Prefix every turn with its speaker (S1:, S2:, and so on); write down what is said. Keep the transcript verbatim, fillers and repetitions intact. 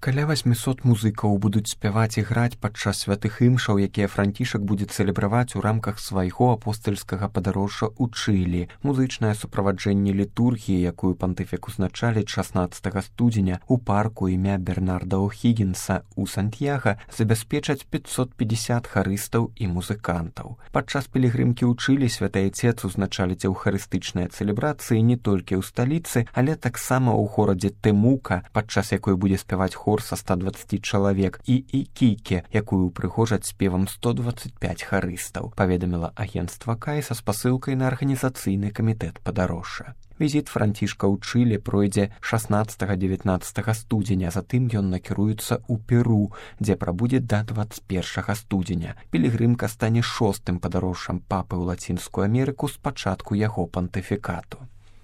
S1: Каля васьмісот музыкаў будуць спяваць і граць падчас святых імшаў, якія Францішак будзе цэлебраваць у рамках свайго апостальскага падарожжа ў Чылі. Музычнае суправаджэнне літургіі, якую пантыфік узначаліць шаснаццатага студзеня ў парку імя Бернарда О'Хіггінса ў Сантьяга, забяспечаць пятьсот пятьдесят харыстаў і музыкантаў. Падчас пілігрымкі ў Чылі святы Айцец узначаліць эўхарыстычныя цэлебрацыі не толькі ў сталіцы, але таксама ў горадзе Тэмука, падчас якой будзе спяваць хор са ста дваццаці чалавек, і Ікіке, якую прыгожаць спевам сто дваццаць пяць харыстаў, паведаміла агенцтва Кай са спасылкай на арганізацыйны камітэт падарожжа. Візіт Францішка ў Чылі пройдзе шаснаццатага-дзевятнаццатага студзеня, затым ён накіруецца ў Перу, дзе прабудзе да дваццаць першага студзеня. Пілігрымка стане шостым падарожжам папы ў Лацінскую Амерыку з пачатку яго пантыфікату.